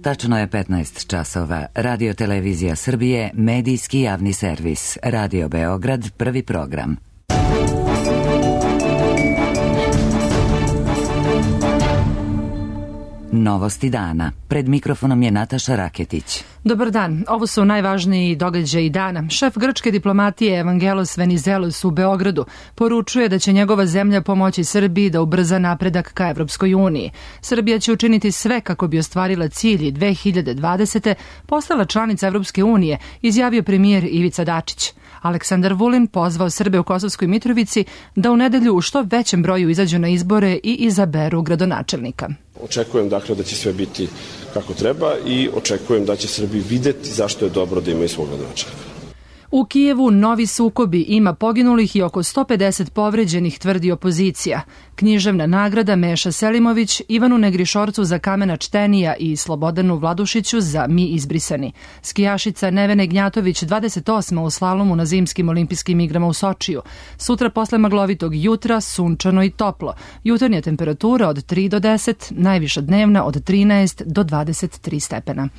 Tačno je 15 časova. Radio Televizija Srbije, medijski javni servis. Radio Beograd, prvi program. Novosti dana. Pred mikrofonom je Nataša Raketić. Dobar dan. Ovo su najvažniji događaji dana. Šef grčke diplomatije Evangelos Venizelos u Beogradu poručuje da će njegova zemlja pomoći Srbiji da ubrza napredak ka Evropskoj uniji. Srbija će učiniti sve kako bi ostvarila cilj i 2020. postala članica Evropske unije, izjavio premijer Ivica Dačić. Aleksandar Vulin pozvao Srbe u Kosovskoj Mitrovici da u nedelju u što većem broju izađu na izbore i izaberu gradonačelnika. Očekujem dakle da će sve biti kako treba i očekujem da će Srbi videti zašto je dobro da imaju svog gradonačelnika. U Kijevu novi sukobi, ima poginulih i oko 150 povređenih, tvrdi opozicija. Književna nagrada Meša Selimović, Ivanu Negrišorcu za Kamena čtenija i Slobodanu Vladušiću za Mi izbrisani. Skijašica Nevene Gnjatović 28. u slalomu na zimskim olimpijskim igrama u Sočiju. Sutra posle maglovitog jutra sunčano i toplo. Jutarnja temperatura od 3 do 10, najviša dnevna od 13 do 23 stepena.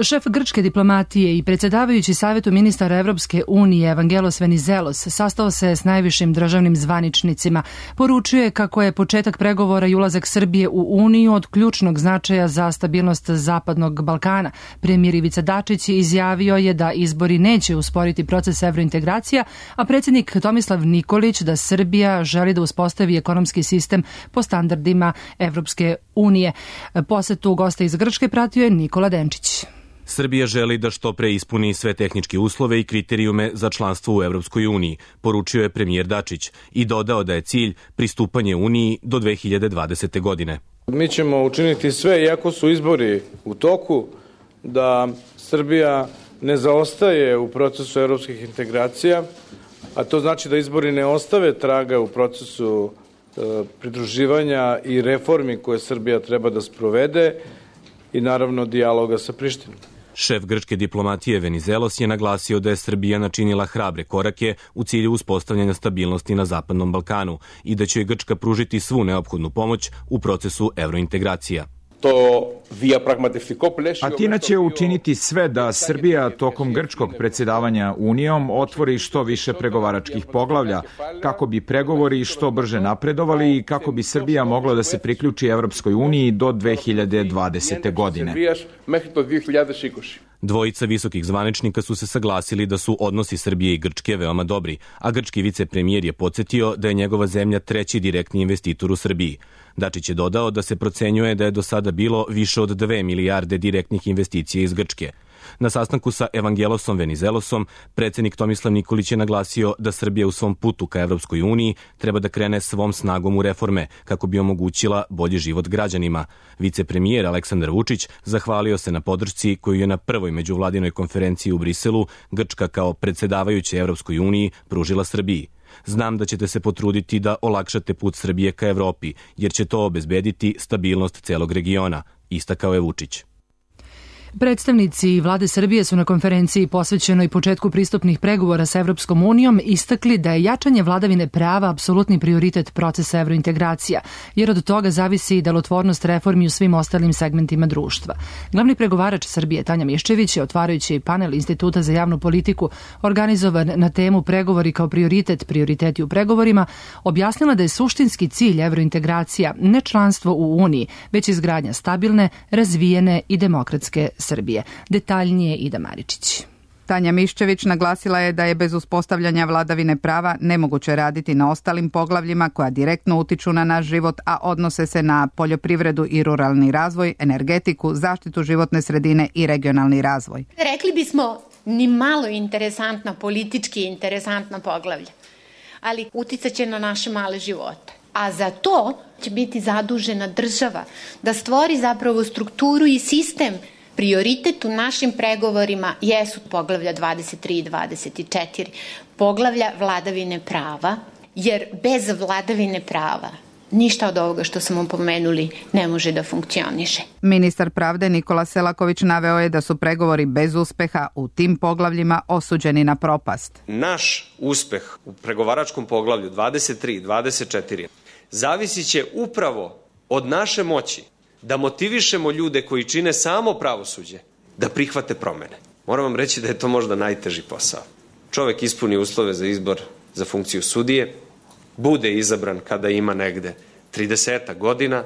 Šef grčke diplomatije i predsjedavajući Savetu ministara Evropske unije Evangelos Venizelos sastao se s najvišim državnim zvaničnicima. Poručuje kako je početak pregovora i ulazak Srbije u Uniju od ključnog značaja za stabilnost Zapadnog Balkana. Premijer Ivica Dačić izjavio je da izbori neće usporiti proces evrointegracija, a predsjednik Tomislav Nikolić da Srbija želi da uspostavi ekonomski sistem po standardima Evropske unije. Posetu gosta iz Grčke pratio je Nikola Denčić. Srbija želi da što pre ispuni sve tehničke uslove i kriterijume za članstvo u Evropskoj uniji, poručio je premijer Dačić i dodao da je cilj pristupanje Uniji do 2020. godine. Mi ćemo učiniti sve, iako su izbori u toku, da Srbija ne zaostaje u procesu evropskih integracija, a to znači da izbori ne ostave traga u procesu pridruživanja i reformi koje Srbija treba da sprovede i naravno dijaloga sa Prištinom. Šef grčke diplomatije Venizelos je naglasio da je Srbija načinila hrabre korake u cilju uspostavljanja stabilnosti na Zapadnom Balkanu i da će Grčka pružiti svu neophodnu pomoć u procesu evrointegracija. Atina će učiniti sve da Srbija tokom grčkog predsjedavanja Unijom otvori što više pregovaračkih poglavlja, kako bi pregovori što brže napredovali i kako bi Srbija mogla da se priključi Evropskoj uniji do 2020. godine. Dvojica visokih zvaničnika su se saglasili da su odnosi Srbije i Grčke veoma dobri, a grčki vicepremijer je podsjetio da je njegova zemlja treći direktni investitor u Srbiji. Dačić je dodao da se procenjuje da je do sada bilo više od 2 milijarde direktnih investicija iz Grčke. Na sastanku sa Evangelosom Venizelosom, predsjednik Tomislav Nikolić je naglasio da Srbija u svom putu ka Evropskoj uniji treba da krene svom snagom u reforme kako bi omogućila bolji život građanima. Vicepremijer Aleksandar Vučić zahvalio se na podršci koju je na prvoj međuvladinoj konferenciji u Briselu Grčka kao predsjedavajuća Evropskoj uniji pružila Srbiji. Znam da ćete se potruditi da olakšate put Srbije ka Evropi, jer će to obezbediti stabilnost celog regiona, istakao je Vučić. Predstavnici vlade Srbije su na konferenciji posvećenoj početku pristupnih pregovora sa Evropskom unijom istakli da je jačanje vladavine prava apsolutni prioritet procesa evrointegracija, jer od toga zavisi i delotvornost reformi u svim ostalim segmentima društva. Glavni pregovarač Srbije Tanja Miščević je, otvarajući panel Instituta za javnu politiku organizovan na temu pregovori kao prioriteti u pregovorima, objasnila da je suštinski cilj evrointegracija ne članstvo u Uniji, već izgradnja stabilne, razvijene i demokratske Srbije. Detaljnije Ida Maričić. Tanja Miščević naglasila je da je bez uspostavljanja vladavine prava nemoguće raditi na ostalim poglavljima koja direktno utiču na naš život, a odnose se na poljoprivredu i ruralni razvoj, energetiku, zaštitu životne sredine i regionalni razvoj. Rekli bismo ni malo interesantna, politički interesantna poglavlja, ali uticaće na naše male živote. A za to će biti zadužena država da stvori zapravo strukturu i sistem. Prioritet u našim pregovorima jesu poglavlja 23 i 24, poglavlja vladavine prava, jer bez vladavine prava ništa od ovoga što smo pomenuli ne može da funkcioniše. Ministar pravde Nikola Selaković naveo je da su pregovori bez uspeha u tim poglavljima osuđeni na propast. Naš uspeh u pregovaračkom poglavlju 23 i 24 zavisit će upravo od naše moći da motivišemo ljude koji čine samo pravosuđe da prihvate promene. Moram vam reći da je to možda najteži posao. Čovek ispuni uslove za izbor za funkciju sudije, bude izabran kada ima negde 30 godina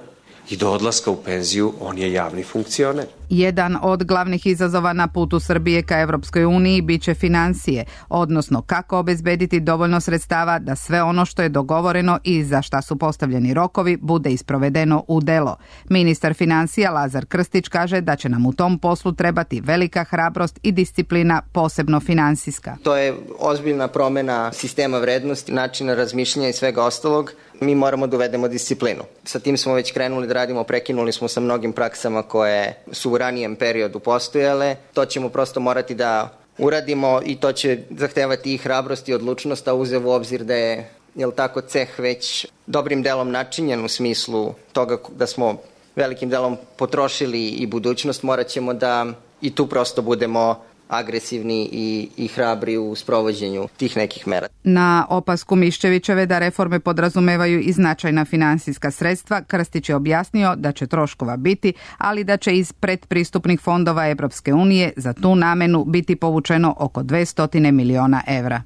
i do odlaska u penziju on je javni funkcioner. Jedan od glavnih izazova na putu Srbije ka Evropskoj uniji biće financije, odnosno kako obezbediti dovoljno sredstava da sve ono što je dogovoreno i za šta su postavljeni rokovi bude isprovedeno u delo. Ministar financija Lazar Krstić kaže da će nam u tom poslu trebati velika hrabrost i disciplina, posebno finansijska. To je ozbiljna promena sistema vrednosti, načina razmišljanja i svega ostalog. Mi moramo da uvedemo disciplinu. Sa tim smo već krenuli da radimo, prekinuli smo sa mnogim praksama koje su u ranijem periodu postojale. To ćemo prosto morati da uradimo i to će zahtevati i hrabrost i odlučnost, a uzev u obzir da je ceh već dobrim delom načinjen u smislu toga da smo velikim delom potrošili i budućnost, morat ćemo da i tu prosto budemo agresivni i hrabri u sprovođenju tih nekih mera. Na opasku Miščevićeve da reforme podrazumevaju i značajna finansijska sredstva, Krstić je objasnio da će troškova biti, ali da će iz predpristupnih fondova Evropske unije za tu namenu biti povučeno oko 200 miliona evra.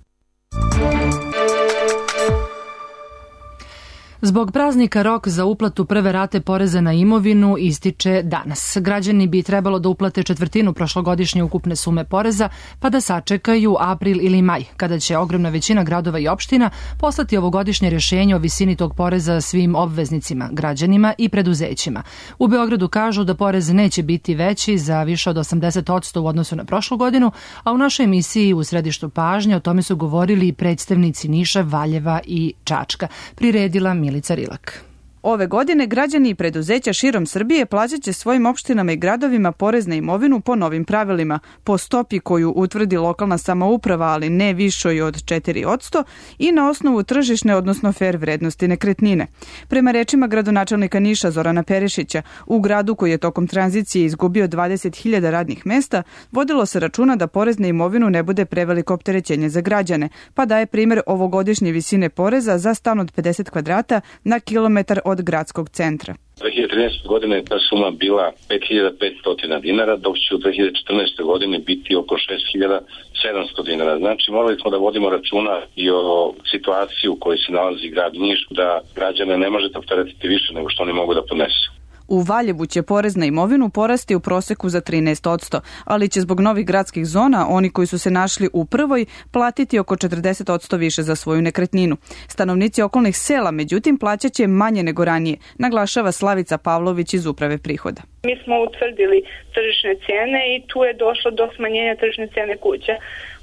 Zbog praznika rok za uplatu prve rate poreza na imovinu ističe danas. Građani bi trebalo da uplate četvrtinu prošlogodišnje ukupne sume poreza, pa da sačekaju april ili maj, kada će ogromna većina gradova i opština poslati ovogodišnje rješenje o visini tog poreza svim obveznicima, građanima i preduzećima. U Beogradu kažu da porez neće biti veći za više od 80% u odnosu na prošlu godinu, a u našoj emisiji U središtu pažnje o tome su govorili i predstavnici Niša, Valjeva i Čačka. Priredila Milica Rilak. Ove godine građani i preduzeća širom Srbije plaćat će svojim opštinama i gradovima porez na imovinu po novim pravilima, po stopi koju utvrdi lokalna samouprava, ali ne višoj od 4% i na osnovu tržišne, odnosno fer vrednosti nekretnine. Prema rečima gradonačelnika Niša Zorana Perišića, u gradu koji je tokom tranzicije izgubio 20.000 radnih mesta, vodilo se računa da porez na imovinu ne bude preveliko opterećenje za građane, pa daje primjer ovogodišnje visine poreza za stan od 50 kvadrata na kilometar od gradskog centra. 2013. godine ta suma bila 5.500 dinara, dok će u 2014. godine biti oko 6.700 dinara. Znači, morali smo da vodimo računa i o situaciji u kojoj se nalazi grad Niš, da građane ne možete opteretiti više nego što oni mogu da podnesu. U Valjevu će porez na imovinu porasti u proseku za 13%, ali će zbog novih gradskih zona oni koji su se našli u prvoj platiti oko 40% više za svoju nekretninu. Stanovnici okolnih sela, međutim, plaćaće manje nego ranije, naglašava Slavica Pavlović iz Uprave prihoda. Mi smo utvrdili tržišne cijene i tu je došlo do smanjenja tržišne cijene kuća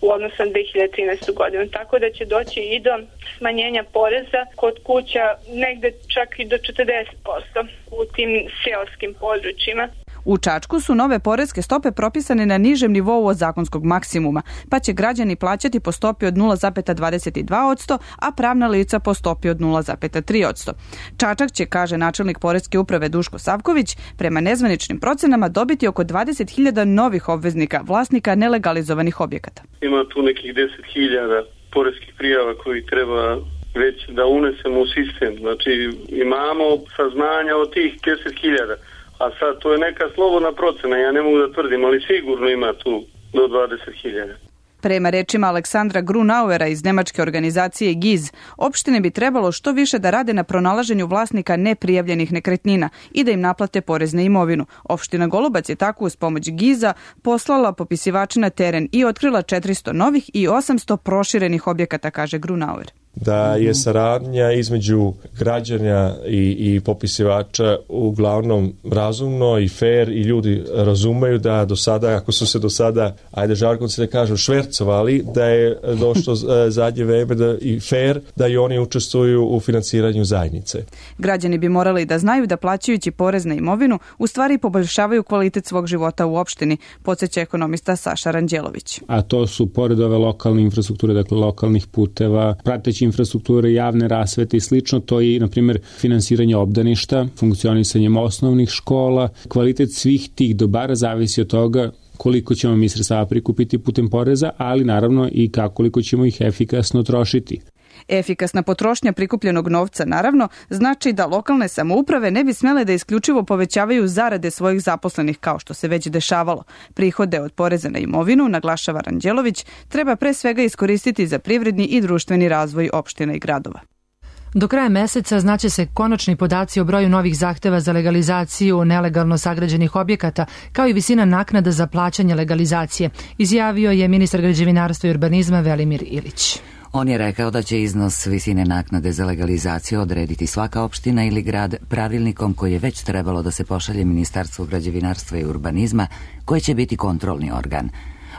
u odnosu na 2013. godinu, tako da će doći i do smanjenja poreza kod kuća negde čak i do 40% u tim seoskim područjima. U Čačku su nove poreske stope propisane na nižem nivou od zakonskog maksimuma, pa će građani plaćati po stopi od 0,22%, a pravna lica po stopi od 0,3%. Čačak će, kaže načelnik poreske uprave Duško Savković, prema nezvaničnim procenama dobiti oko 20.000 novih obveznika, vlasnika nelegalizovanih objekata. Ima tu nekih 10.000 poreskih prijava koji treba već da unesemo u sistem. Znači imamo saznanja od tih 10.000. A sad to je neka slobodna procena, ja ne mogu da tvrdim, ali sigurno ima tu do 20.000. Prema rečima Aleksandra Grunauera iz nemačke organizacije GIZ, opštine bi trebalo što više da rade na pronalaženju vlasnika neprijavljenih nekretnina i da im naplate porez na imovinu. Opština Golubac je tako uz pomoć GIZ-a poslala popisivače na teren i otkrila 400 novih i 800 proširenih objekata, kaže Grunauer. Da je saradnja između građana i popisivača uglavnom razumno i fair i ljudi razumeju da do sada, ako su se do sada, ajde žargonski da kažu, švercovali, da je došlo zadnje vreme da i fair da i oni učestvuju u finansiranju zajednice. Građani bi morali da znaju da plaćajući porez na imovinu u stvari poboljšavaju kvalitet svog života u opštini, podsjeća ekonomista Saša Ranđelović. A to su pored ove lokalne infrastrukture, dakle lokalnih puteva, prateći infrastrukture, javne rasvete i slično, to je, na primjer, finansiranje obdaništa, funkcionisanjem osnovnih škola. Kvalitet svih tih dobara zavisi od toga koliko ćemo mi sredstava prikupiti putem poreza, ali naravno i koliko ćemo ih efikasno trošiti. Efikasna potrošnja prikupljenog novca, naravno, znači da lokalne samouprave ne bi smele da isključivo povećavaju zarade svojih zaposlenih kao što se već dešavalo. Prihode od poreza na imovinu, naglašava Ranđelović, treba pre svega iskoristiti za privredni i društveni razvoj opština i gradova. Do kraja meseca znaće se konačni podaci o broju novih zahteva za legalizaciju nelegalno sagrađenih objekata, kao i visina naknada za plaćanje legalizacije, izjavio je ministar građevinarstva i urbanizma Velimir Ilić. On je rekao da će iznos visine naknade za legalizaciju odrediti svaka opština ili grad pravilnikom koji je već trebalo da se pošalje Ministarstvu građevinarstva i urbanizma, koji će biti kontrolni organ.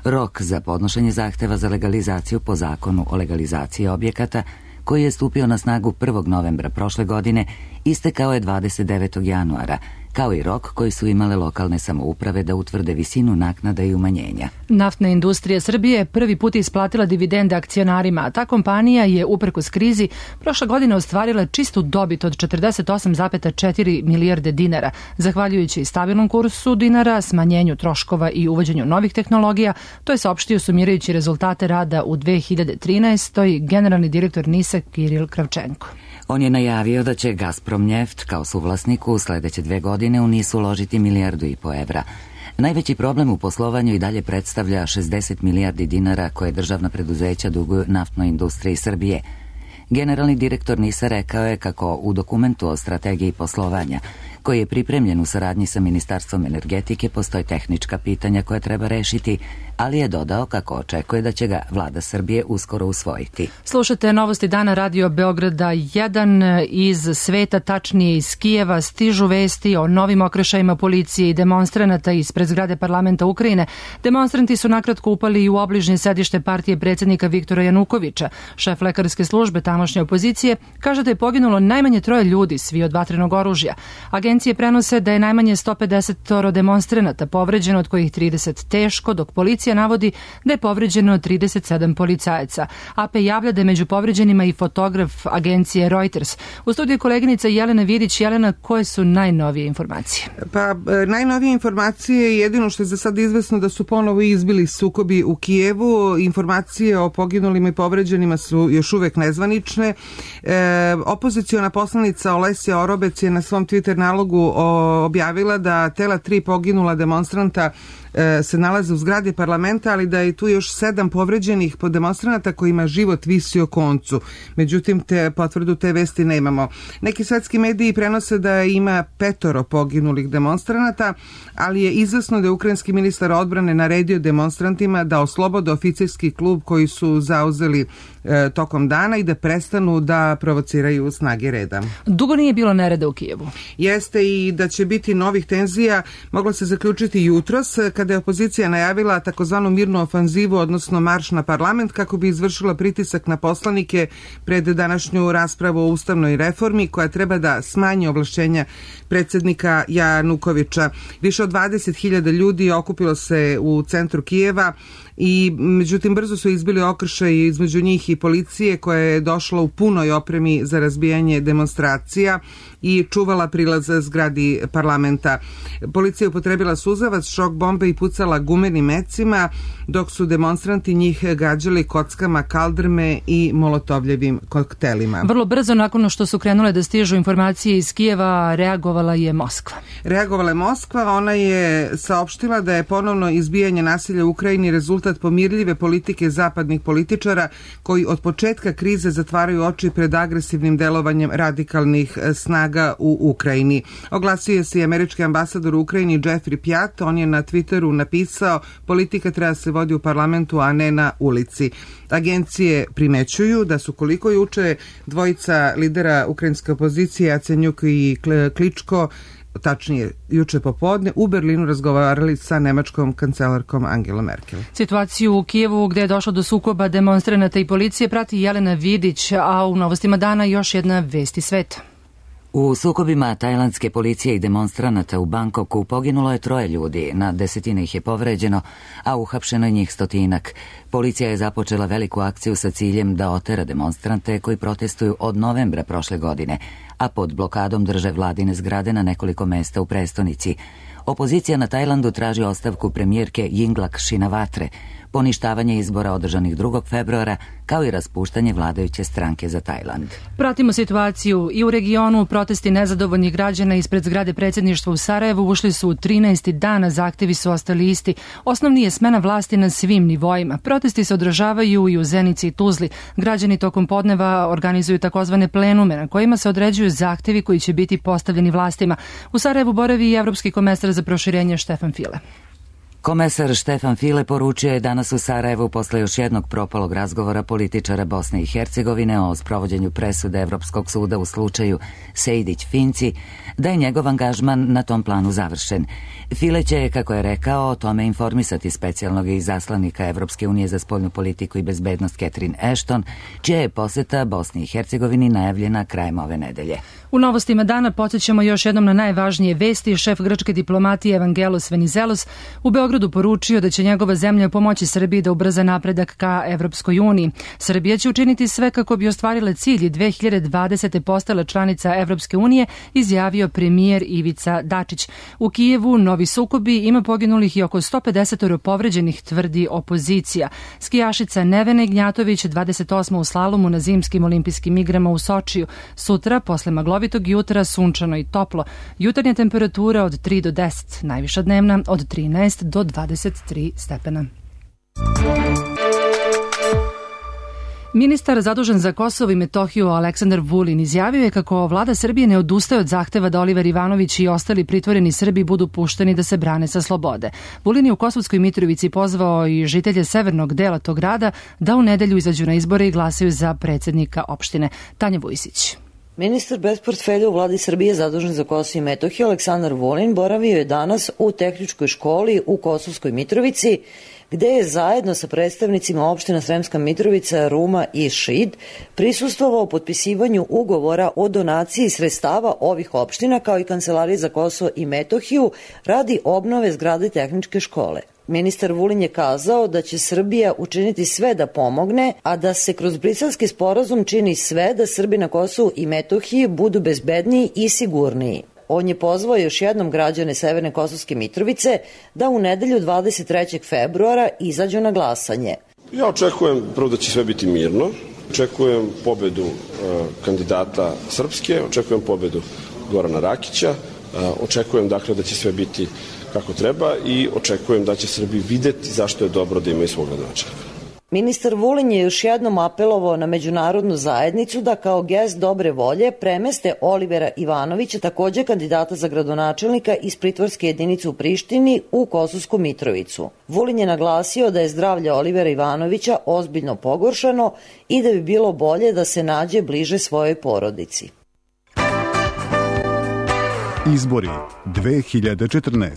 Rok za podnošenje zahteva za legalizaciju po zakonu o legalizaciji objekata, koji je stupio na snagu 1. novembra prošle godine, istekao je 29. januara, kao i rok koji su imale lokalne samouprave da utvrde visinu naknada i umanjenja. Naftna industrija Srbije prvi put isplatila dividende akcionarima, a ta kompanija je, uprkos krizi, prošle godine ostvarila čistu dobit od 48,4 milijarde dinara, zahvaljujući stabilnom kursu dinara, smanjenju troškova i uvođenju novih tehnologija. To je saopštio sumirajući rezultate rada u 2013. generalni direktor NIS-a Kiril Kravčenko. On je najavio da će Gazprom Njeft kao suvlasniku u sledeće 2 godine u NIS uložiti 1,5 milijardu evra. Najveći problem u poslovanju i dalje predstavlja 60 milijardi dinara koje državna preduzeća duguju naftnoj industriji Srbije. Generalni direktor NIS-a rekao je kako u dokumentu o strategiji poslovanja, koji je pripremljen u saradnji sa Ministarstvom energetike, postoje tehnička pitanja koje treba rešiti, ali je dodao kako očekuje da će ga vlada Srbije uskoro usvojiti. Slušate Novosti dana Radio Beograda 1 iz sveta, tačnije iz Kijeva. Stižu vesti o novim okršajima policije i demonstranata ispred zgrade parlamenta Ukrajine. Demonstranti su nakratko upali i u obližnje sedište partije predsjednika Viktora Janukovića. Šef lekarske službe tamošnje opozicije kaže da je poginulo najmanje 3 ljudi, svi od vatrenog oružja. Agencije prenose da je najmanje 150 demonstranata povređeno, od kojih 30 teško, dok policija navodi da je povređeno 37 policajaca. AP javlja da je među povređenima i fotograf agencije Reuters. U studiju koleginica Jelena Vidić. Jelena, koje su najnovije informacije? Pa, najnovije informacije, jedino što je za sad izvesno da su ponovo izbili sukobi u Kijevu. Informacije o poginulima i povređenima su još uvek nezvanične. Opoziciona poslanica Olesja Orobec je na svom Twitter nalogu objavila da tela 3 poginula demonstranta se nalaze u zgradi parlamenta, ali da je tu još 7 povređenih demonstranata kojima život visi o koncu. Međutim, potvrdu te vesti nemamo. Neki svetski mediji prenose da ima 5 poginulih demonstranata, ali je izvesno da je ukrajinski ministar odbrane naredio demonstrantima da oslobode oficirski klub koji su zauzeli tokom dana i da prestanu da provociraju snage reda. Dugo nije bilo nereda u Kijevu. Jeste, i da će biti novih tenzija moglo se zaključiti jutros kada je opozicija najavila takozvanu mirnu ofanzivu, odnosno marš na parlament, kako bi izvršila pritisak na poslanike pred današnju raspravu o ustavnoj reformi koja treba da smanji ovlašćenja predsjednika Janukovića. Više od 20.000 ljudi okupilo se u centru Kijeva i međutim brzo su izbili okršaji između njih i policije koja je došla u punoj opremi za razbijanje demonstracija i čuvala prilaz zgradi parlamenta. Policija upotrebila suzavac, šok bombe i pucala gumenim mecima, dok su demonstranti njih gađali kockama, kaldrme i molotovljevim koktelima. Vrlo brzo nakon što su krenule da stižu informacije iz Kijeva, reagovala je Moskva. Reagovala je Moskva, ona je saopštila da je ponovno izbijanje nasilja u Ukrajini rezultat pomirljive politike zapadnih političara koji od početka krize zatvaraju oči pred agresivnim delovanjem radikalnih snaga u Ukrajini. Oglasio se i američki ambasador u Ukrajini Jeffrey Pjat. On je na Twitteru napisao: politika treba se vodi u parlamentu, a ne na ulici. Agencije primećuju da su, koliko juče dvojica lidera ukrajinske opozicije, Jacenjuk i Kličko, tačnije juče popodne, u Berlinu razgovarali sa nemačkom kancelarkom Angela Merkel. Situaciju u Kijevu, gde je došlo do sukoba demonstranata i policije, prati Jelena Vidić, a u Novostima dana još jedna vest iz sveta. U sukobima tajlandske policije i demonstranata u Bangkoku poginulo je 3 ljudi, na desetine ih je povređeno, a uhapšeno je njih 100-ak. Policija je započela veliku akciju sa ciljem da otera demonstrante koji protestuju od novembra prošle godine, a pod blokadom drže vladine zgrade na nekoliko mesta u prestonici. Opozicija na Tajlandu traži ostavku premijerke Yingluck Shinawatre, poništavanje izbora održanih 2. februara, kao i raspuštanje vladajuće stranke za Tajland. Pratimo situaciju i u regionu. Protesti nezadovoljnih građana ispred zgrade predsjedništva u Sarajevu ušli su u 13. dana, zahtevi su ostali isti. Osnovni je smena vlasti na svim nivoima. Protesti se održavaju i u Zenici i Tuzli. Građani tokom podneva organizuju takozvane plenume na kojima se određuju zahtevi koji će biti postavljeni vlastima. U Sarajevu boravi i evropski komesar za proširenje Štefan File. Komesar Štefan File poručio je danas u Sarajevu posle još jednog propalog razgovora političara Bosne i Hercegovine o sprovođenju presude Evropskog suda u slučaju Sejdić-Finci da je njegov angažman na tom planu završen. File će, kako je rekao, o tome informisati specijalnog izaslanika Evropske unije za spoljnu politiku i bezbednost Catherine Ashton, čija je poseta Bosni i Hercegovini najavljena krajem ove nedelje. U novostima dana podsjećamo još jednom na najvažnije vesti. Šef grčke diplomatije Evangelos Venizelos u Beogradu poručio da će njegova zemlja pomoći Srbiji da ubrza napredak ka Evropskoj uniji. Srbija će učiniti sve kako bi ostvarile cilj i 2020. postala članica Evropske unije, izjavio premijer Ivica Dačić. U Kijevu novi sukobi, ima poginulih i oko 150 povređenih, tvrdi opozicija. Skijašica Nevena Ignjatović 28. u slalomu na zimskim olimpijskim igrama u Sočiju. Sutra, posle maglovitog jutra, sunčano i toplo. Jutarnja temperatura od 3 do 10, najviša dnevna od 13 do 23 stepena. Ministar zadužen za Kosovo i Metohiju Aleksandar Vulin izjavio je kako vlada Srbije ne odustaje od zahteva da Oliver Ivanović i ostali pritvoreni Srbi budu pušteni da se brane sa slobode. Vulin je u Kosovskoj Mitrovici pozvao i žitelje severnog dela tog grada da u nedelju izađu na izbore i glasaju za predsjednika opštine. Tanja Vujsić. Ministar bez portfelja u vladi Srbije zadužen za Kosovo i Metohiju Aleksandar Vulin boravio je danas u tehničkoj školi u Kosovskoj Mitrovici, gde je zajedno sa predstavnicima opština Sremska Mitrovica, Ruma i Šid prisustvovao potpisivanju ugovora o donaciji sredstava ovih opština kao i Kancelarije za Kosovo i Metohiju radi obnove zgrade tehničke škole. Ministar Vulin je kazao da će Srbija učiniti sve da pomogne, a da se kroz Briselski sporazum čini sve da Srbi na Kosovu i Metohiji budu bezbedniji i sigurniji. On je pozvao još jednom građane Severne Kosovske Mitrovice da u nedelju 23. februara izađu na glasanje. Ja očekujem prvo da će sve biti mirno, očekujem pobedu kandidata Srpske, očekujem pobedu Gorana Rakića, očekujem dakle da će sve biti kako treba i očekujem da će Srbi videti zašto je dobro da imaju svog gradonačelnika. Ministar Vulin je još jednom apelovao na međunarodnu zajednicu da kao gest dobre volje premeste Olivera Ivanovića, takođe kandidata za gradonačelnika iz pritvorske jedinice u Prištini, u Kosovsku Mitrovicu. Vulin je naglasio da je zdravlje Olivera Ivanovića ozbiljno pogoršano i da bi bilo bolje da se nađe bliže svojoj porodici. Izbori 2014.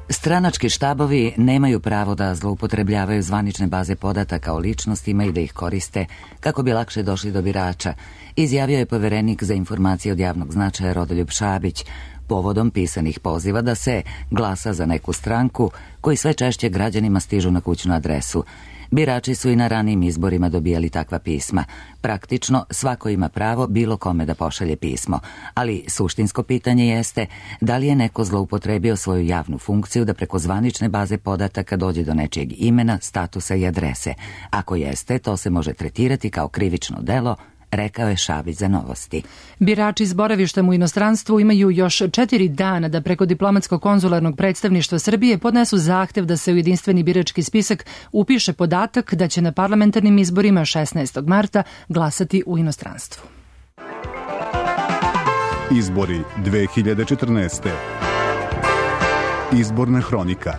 Stranački štabovi nemaju pravo da zloupotrebljavaju zvanične baze podataka o ličnostima i da ih koriste kako bi lakše došli do birača, izjavio je poverenik za informacije od javnog značaja Rodoljub Šabić povodom pisanih poziva da se glasa za neku stranku koji sve češće građanima stižu na kućnu adresu. Birači su i na ranijim izborima dobijali takva pisma. Praktično svako ima pravo bilo kome da pošalje pismo, ali suštinsko pitanje jeste da li je neko zloupotrebio svoju javnu funkciju da preko zvanične baze podataka dođe do nečijeg imena, statusa i adrese. Ako jeste, to se može tretirati kao krivično delo, rekao je Šabić za Novosti. Birači s boravištem u inostranstvu imaju još 4 dana da preko diplomatsko-konzularnog predstavništva Srbije podnesu zahtev da se u jedinstveni birački spisak upiše podatak da će na parlamentarnim izborima 16. marta glasati u inostranstvu. Izbori 2014. Izborna hronika.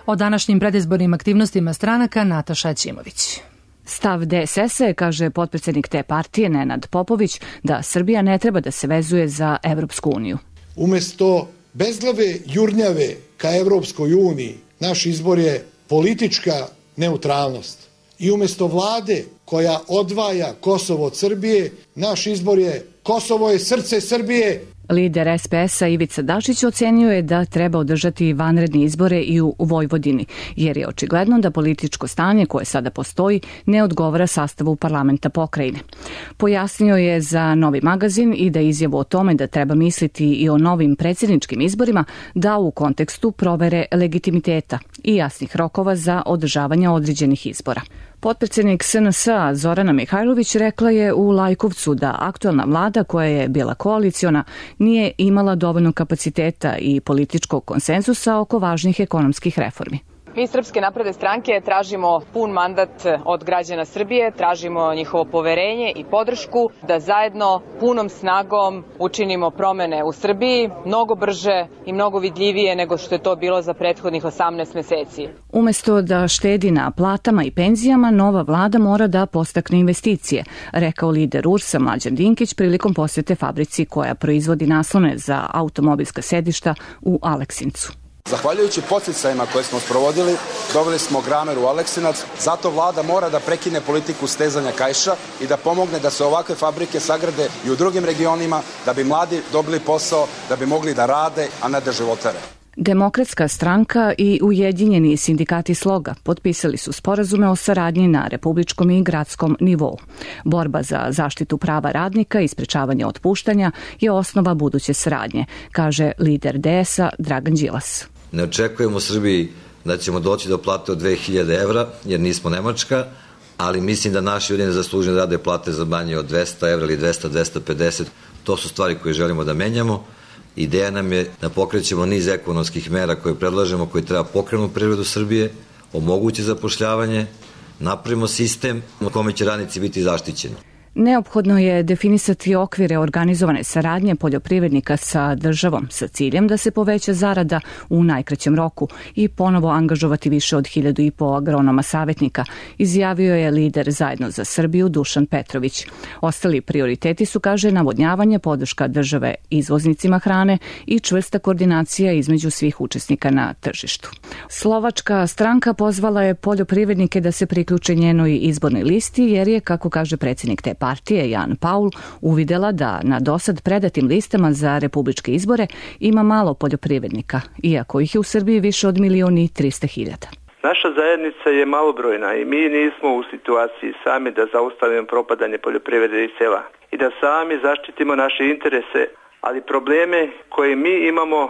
O današnjim predizbornim aktivnostima stranaka Nataša Ćimović. Stav DSS-a, kaže potpredsednik te partije Nenad Popović, da Srbija ne treba da se vezuje za Evropsku uniju. Umesto bezglave jurnjave ka Evropskoj uniji, naš izbor je politička neutralnost. I umesto vlade koja odvaja Kosovo od Srbije, naš izbor je Kosovo je srce Srbije. Lider SPS-a Ivica Dačić ocenio je da treba održati vanredne izbore i u Vojvodini, jer je očigledno da političko stanje koje sada postoji ne odgovara sastavu parlamenta pokrajine. Pojasnio je za Novi magazin i da izjavu o tome da treba misliti i o novim predsjedničkim izborima dao u kontekstu provere legitimiteta i jasnih rokova za održavanje određenih izbora. Potpredsjednik SNS-a Zorana Mihajlović rekla je u Lajkovcu da aktuelna vlada koja je bila koaliciona nije imala dovoljno kapaciteta i političkog konsenzusa oko važnih ekonomskih reformi. Mi iz Srpske napredne stranke tražimo pun mandat od građana Srbije, tražimo njihovo poverenje i podršku da zajedno punom snagom učinimo promene u Srbiji mnogo brže i mnogo vidljivije nego što je to bilo za prethodnih 18 meseci. Umesto da štedi na platama i penzijama, nova vlada mora da podstakne investicije, rekao lider URS-a Mlađan Dinkić prilikom posete fabrici koja proizvodi naslone za automobilska sedišta u Aleksincu. Zahvaljujući podsticajima koje smo sprovodili, doveli smo Gramer u Aleksinac, zato vlada mora da prekine politiku stezanja kaiša i da pomogne da se ovakve fabrike sagrade i u drugim regionima, da bi mladi dobili posao, da bi mogli da rade, a ne da životare. Demokratska stranka i Ujedinjeni sindikati Sloga potpisali su sporazume o saradnji na republičkom i gradskom nivou. Borba za zaštitu prava radnika i sprečavanje otpuštanja je osnova buduće saradnje, kaže lider DS-a Dragan Đilas. Ne očekujemo u Srbiji da ćemo doći do plate od 2000 evra, jer nismo Nemačka, ali mislim da naši ljudi ne zaslužuju da rade plate za manje od 200 evra ili 200-250. To su stvari koje želimo da menjamo. Ideja nam je da pokrećemo niz ekonomskih mera koje predlažemo, koji treba pokrenuti privredu Srbije, omogući zapošljavanje, napravimo sistem u kome će radnici biti zaštićeni. Neophodno je definisati okvire organizovane saradnje poljoprivrednika sa državom sa ciljem da se poveća zarada u najkraćem roku i ponovo angažovati više od 1500 agronoma savjetnika, izjavio je lider Zajedno za Srbiju Dušan Petrović. Ostali prioriteti su, kaže, navodnjavanje, podrška države izvoznicima hrane i čvrsta koordinacija između svih učesnika na tržištu. Slovačka stranka pozvala je poljoprivrednike da se priključe njenoj izbornoj listi jer je, kako kaže predsjednik te partije Jan Paul, uvidela da na dosad predatim listama za republičke izbore ima malo poljoprivrednika, iako ih je u Srbiji više od 1.300.000. Naša zajednica je malobrojna i mi nismo u situaciji sami da zaustavimo propadanje poljoprivrede i sela i da sami zaštitimo naše interese, ali probleme koje mi imamo,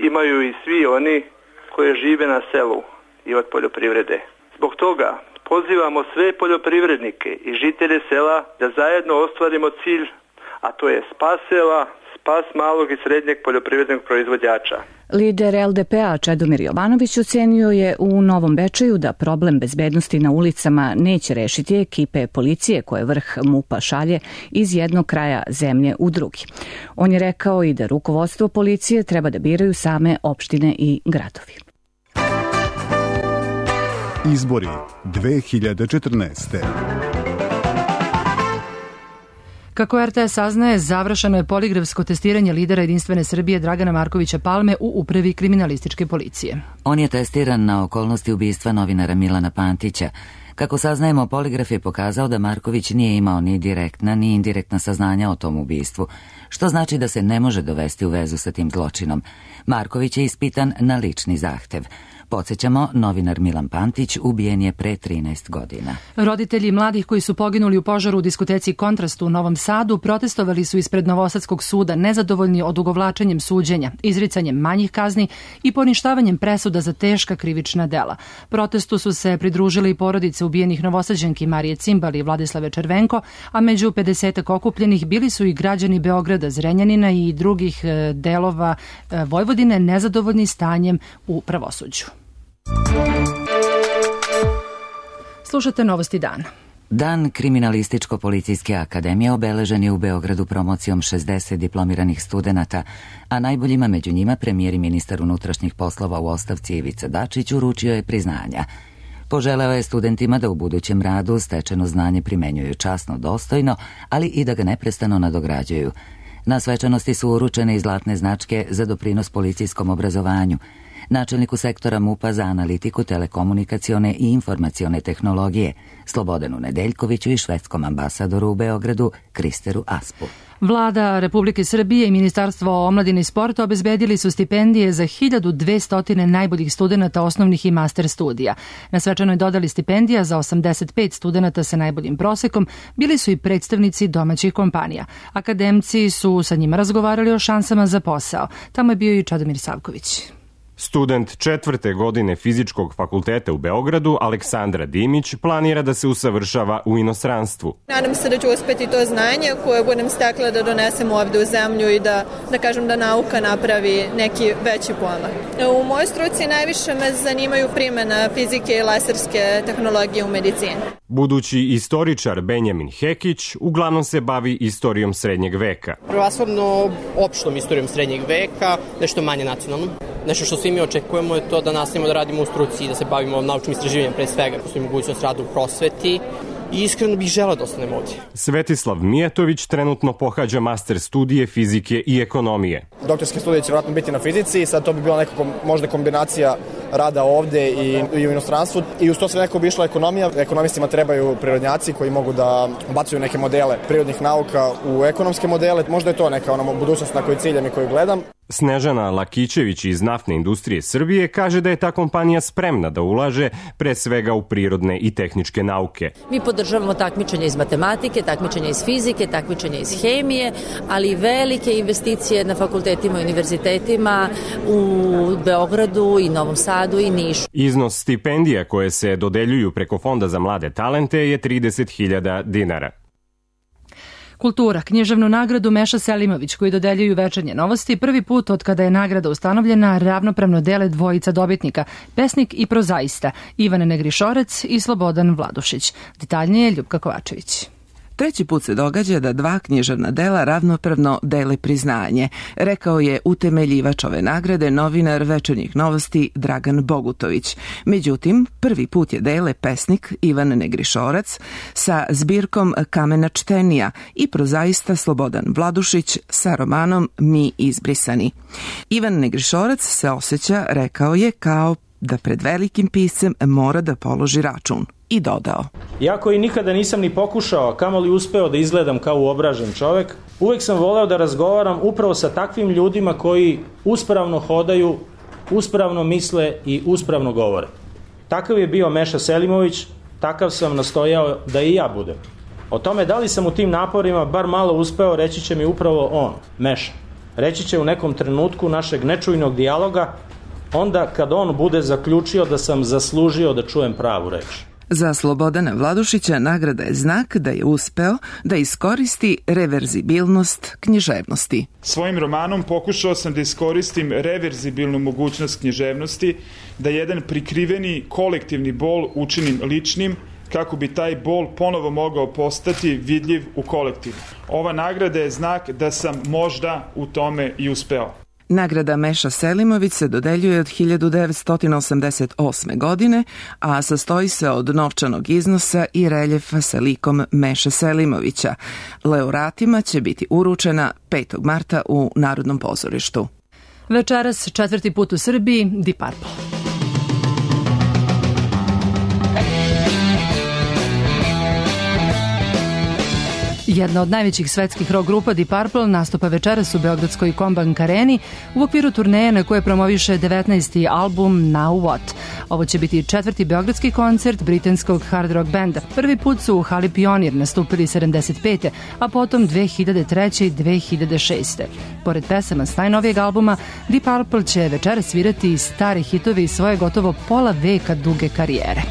imaju i svi oni koji žive na selu i od poljoprivrede. Zbog toga pozivamo sve poljoprivrednike i žitelje sela da zajedno ostvarimo cilj, a to je spas sela, spas malog i srednjeg poljoprivrednog proizvođača. Lider LDP-a Čedomir Jovanović ocenio je u Novom Bečeju da problem bezbednosti na ulicama neće rešiti ekipe policije koje vrh MUP-a šalje iz jednog kraja zemlje u drugi. On je rekao i da rukovodstvo policije treba da biraju same opštine i gradovi. Izbori 2014. Kako RTS saznaje, završeno je poligrafsko testiranje lidera Jedinstvene Srbije Dragana Markovića Palme u Upravi kriminalističke policije. On je testiran na okolnosti ubistva novinara Milana Pantića. Kako saznajemo, poligraf je pokazao da Marković nije imao ni direktna ni indirektna saznanja o tom ubistvu, što znači da se ne može dovesti u vezu sa tim zločinom. Marković je ispitan na lični zahtev. Podsjećamo, novinar Milan Pantić ubijen je pre 13 godina. Roditelji mladih koji su poginuli u požaru u diskoteci Kontrast u Novom Sadu protestovali su ispred Novosadskog suda nezadovoljni odugovlačenjem suđenja, izricanjem manjih kazni i poništavanjem presuda za teška krivična dela. Protestu su se pridružili i porodice ubijenih Novosađanki Marije Cimbali i Vladislave Červenko, a među 50 okupljenih bili su i građani Beograda, Zrenjanina i drugih delova Vojvodine nezadovoljni stanjem u pravosuđu. Slušate Novosti dana. Dan Kriminalističko-policijske akademije obeležen je u Beogradu promocijom 60 diplomiranih studenata, a najboljima među njima premijer i ministar unutrašnjih poslova u ostavci Ivica Dačić uručio je priznanja. Poželeo je studentima da u budućem radu stečeno znanje primenjuju časno, dostojno, ali i da ga neprestano nadograđuju. Na svečanosti su uručene i zlatne značke za doprinos policijskom obrazovanju. načelniku sektora MUP-a za analitiku, telekomunikacione i informacione tehnologije, Slobodanu Nedeljkoviću i švedskom ambasadoru u Beogradu, Kristeru Aspu. Vlada Republike Srbije i Ministarstvo omladine i sporta obezbedili su stipendije za 1200 najboljih studenata osnovnih i master studija. Na svečanoj dodali stipendija za 85 studenata sa najboljim prosekom bili su i predstavnici domaćih kompanija. Akademci su sa njima razgovarali o šansama za posao. Tamo je bio i Čadomir Savković. Student 4. godine Fizičkog fakulteta u Beogradu, Aleksandra Dimić, planira da se usavršava u inostranstvu. Nadam se da ću uspeti to znanje koje budem stekla da donesem ovde u zemlju i da kažem da nauka napravi neki veći pomak. U mojoj struci najviše me zanimaju primjena fizike i laserske tehnologije u medicini. Budući istoričar Benjamin Hekić uglavnom se bavi istorijom srednjeg veka. Prevashodno opštom istorijom srednjeg veka, nešto manje nacionalnom. Nešto što svi mi očekujemo je to da nastavimo da radimo u struci i da se bavimo naučnim istraživanjem pre svega, postoji mogućnost rada u prosveti i iskreno bih želeo da ostanem ovdje. Svetislav Mijatović trenutno pohađa master studije fizike i ekonomije. Doktorske studije će vjerojatno biti na fizici i sad to bi bila nekako možda kombinacija rada ovde i u inostranstvu i uz to sve neko bi išla ekonomija. Ekonomistima trebaju prirodnjaci koji mogu da bacuju neke modele prirodnih nauka u ekonomske modele. Možda je to neka budućnost na koju ciljam i koju gledam. Snežana Lakićević iz Naftne industrije Srbije kaže da je ta kompanija spremna da ulaže pre svega u prirodne i tehničke nauke. Mi podržavamo takmičenje iz matematike, takmičenje iz fizike, takmičenje iz hemije, ali i velike investicije na fakultetima i univerzitetima u Beogradu i Novom Sadu i Nišu. Iznos stipendija koje se dodeljuju preko Fonda za mlade talente je 30.000 dinara. Kultura, književnu nagradu Meša Selimović koji dodeljuju Večernje novosti prvi put od kada je nagrada ustanovljena ravnopravno dele dvojica dobitnika, pesnik i prozaista, Ivan Negrišorec i Slobodan Vladušić. Detaljnije Ljupka Kovačević. Treći put se događa da dva književna dela ravnopravno dele priznanje, rekao je utemeljivač ove nagrade novinar Večernjih novosti Dragan Bogutović. Međutim, prvi put je dele pesnik Ivan Negrišorac sa zbirkom Kamena čtenija i prozaista Slobodan Vladušić sa romanom Mi izbrisani. Ivan Negrišorac se osjeća, rekao je, kao da pred velikim piscem mora da položi račun. I dodao. Iako i nikada nisam ni pokušao, a kamoli uspeo da izgledam kao uobražen čovek, uvek sam voleo da razgovaram upravo sa takvim ljudima koji uspravno hodaju, uspravno misle i uspravno govore. Takav je bio Meša Selimović, takav sam nastojao da i ja budem. O tome da li sam u tim naporima bar malo uspeo, reći će mi upravo on, Meša. Reći će u nekom trenutku našeg nečujnog dijaloga, onda kad on bude zaključio da sam zaslužio da čujem pravu reč. Za Slobodana Vladušića nagrada je znak da je uspeo da iskoristi reverzibilnost književnosti. Svojim romanom pokušao sam da iskoristim reverzibilnu mogućnost književnosti, da jedan prikriveni kolektivni bol učinim ličnim, kako bi taj bol ponovo mogao postati vidljiv u kolektivu. Ova nagrada je znak da sam možda u tome i uspeo. Nagrada Meša Selimović se dodeljuje od 1988. godine, a sastoji se od novčanog iznosa i reljefa sa likom Meše Selimovića. Laureatima će biti uručena 5. marta u Narodnom pozorištu. Večeras četvrti put u Srbiji, Deep Purple. Jedna od najvećih svetskih rock grupa Deep Purple nastupa večeras u beogradskoj Kombank areni u okviru turneje na koje promoviše 19. album Now What. Ovo će biti četvrti beogradski koncert britanskog hard rock benda. Prvi put su u hali Pionir nastupili 75. a potom 2003. i 2006. Pored pesama s najnovijeg albuma, Deep Purple će večeras svirati stare hitove iz svoje gotovo pola veka duge karijere.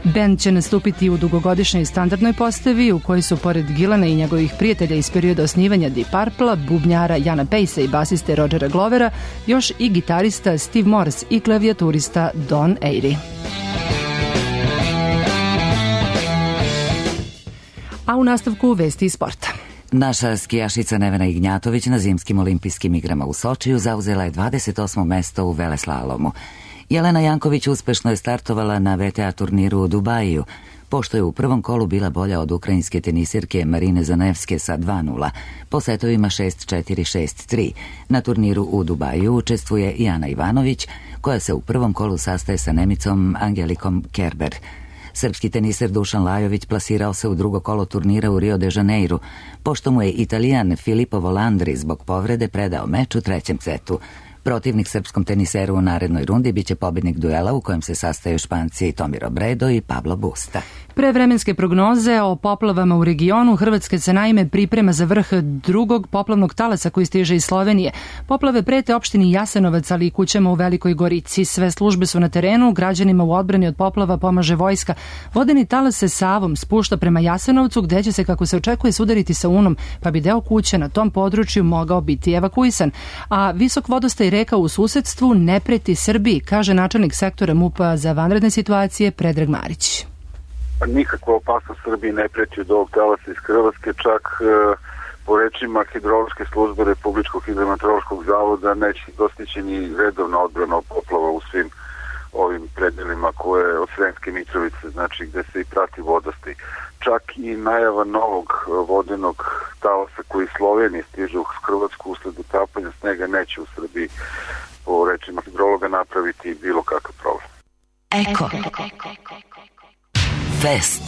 Bend će nastupiti u dugogodišnjoj standardnoj postavi u kojoj su pored Gillana i njegovih prijatelja iz perioda osnivanja Deep Purple, bubnjara Jana Pacea i basiste Rodgera Glovera, još i gitarista Steve Morse i klavijaturista Don Airey. A u nastavku vesti iz sporta. Naša skijašica Nevena Ignjatović na zimskim olimpijskim igrama u Sočiju zauzela je 28. mesto u veleslalomu. Jelena Janković uspešno je startovala na VTA turniru u Dubaju. pošto je u prvom kolu bila bolja od ukrajinske tenisirke Marine Zanevske sa 2-0, po setovima 6-4-6-3. Na turniru u Dubaju učestvuje i Ana Ivanović, koja se u prvom kolu sastaje sa Nemicom Angelikom Kerber. Srpski teniser Dušan Lajović plasirao se u drugo kolo turnira u Rio de Janeiru, pošto mu je Italijan Filippo Volandri zbog povrede predao meč u trećem setu. Protivnik srpskom teniseru u narednoj rundi biće pobednik duela u kojem se sastaju Španci Tommy Robredo i Pablo Busta. Pre vremenske prognoze o poplavama u regionu, Hrvatska se naime priprema za vrh drugog poplavnog talasa koji stiže iz Slovenije. Poplave prete opštini Jasenovac, ali i kućama u Velikoj Gorici. Sve službe su na terenu, građanima u odbrani od poplava pomaže vojska. Vodeni talas se Savom spušta prema Jasenovcu, gde će se, kako se očekuje, sudariti sa Unom, pa bi deo kuće na tom području mogao biti evakuisan. A visok vodostaj reka u susedstvu ne preti Srbiji, kaže načelnik sektora MUP-a za vanredne situacije Predrag Marić. Nikakva opasnost Srbiji ne preti od ovog talasa iz Hrvatske, čak po rečima hidrološke službe Republičkog hidrometeorološkog zavoda neće dostići ni redovna odbrana od poplava u svim ovim predelima koje od Sremske Mitrovice, znači gde se i prati vodostaj. Čak i najava novog vodenog talasa koji iz Slovenije stiže u Hrvatsku usled utapanja snega neće u Srbiji po rečima hidrologa napraviti bilo kakav problem. Eko. Fest.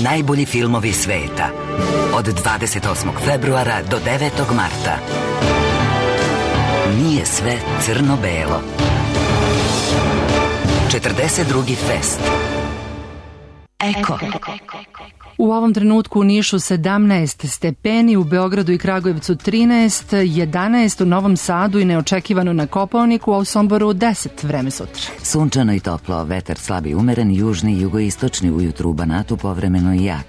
Najbolji filmovi sveta. Od 28. februara do 9. marta. Nije sve crno-belo. 42. fest. Eko. U ovom trenutku u Nišu 17 stepeni, u Beogradu i Kragujevcu 13, 11 u Novom Sadu i neočekivano na Kopaoniku, a u Somboru 10, vreme sutra. Sunčano i toplo, vetar slab i umeren, južni i jugoistočni, ujutru u Banatu povremeno i jak.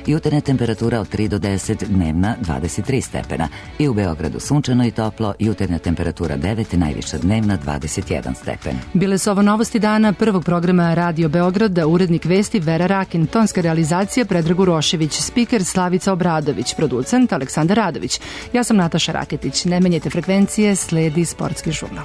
Jutarnja temperatura od 3 do 10, dnevna 23 stepena. I u Beogradu sunčano i toplo, jutarnja temperatura 9, najviša dnevna 21 stepen. Bile su ovo novosti dana prvog programa Radio Beograda, urednik vesti Vera Rakin, tonska realizacija Predrag Urošević, spiker Slavica Obradović, producent Aleksandar Radović. Ja sam Nataša Raketić. Ne menjajte frekvencije, sledi Sportski žurnal.